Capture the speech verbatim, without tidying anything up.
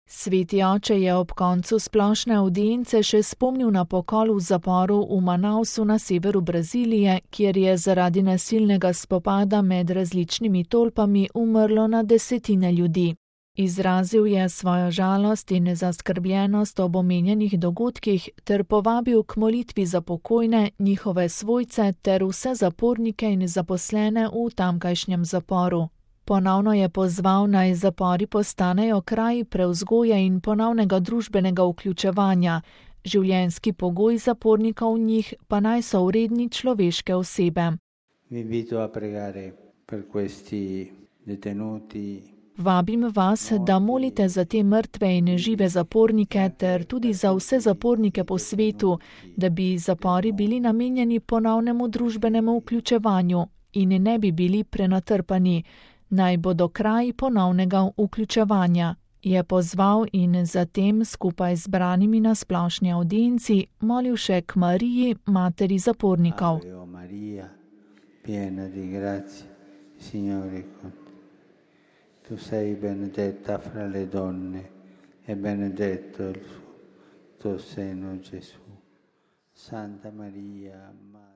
Sveti oče je ob koncu splošne avdience še spomnil na pokol v zaporu v Manausu na severu Brazilije, kjer je zaradi nasilnega spopada med različnimi tolpami umrlo na desetine ljudi. Izrazil je svojo žalost in zaskrbljenost ob omenjenih dogodkih ter povabil k molitvi za pokojne, njihove svojce ter vse zapornike in zaposlene v tamkajšnjem zaporu. Ponovno je pozval, naj zapori postanejo kraji prevzgoje in ponovnega družbenega vključevanja, življenjski pogoj zapornikov v njih pa naj so vredni človeške osebe. Vabim vas, da molite za te mrtve in žive zapornike ter tudi za vse zapornike po svetu, da bi zapori bili namenjeni ponovnemu družbenemu vključevanju in ne bi bili prenatrpani. Naj bodo kraji ponovnega vključevanja, je pozval in zatem skupaj z branimi na splošni avdienci molil še k Mariji, materi zapornikov. Ave Maria, piena di grazia, Signore con te. Tu sei benedetta fra le donne e benedetto il tuo seno Gesù. Santa Maria, Madre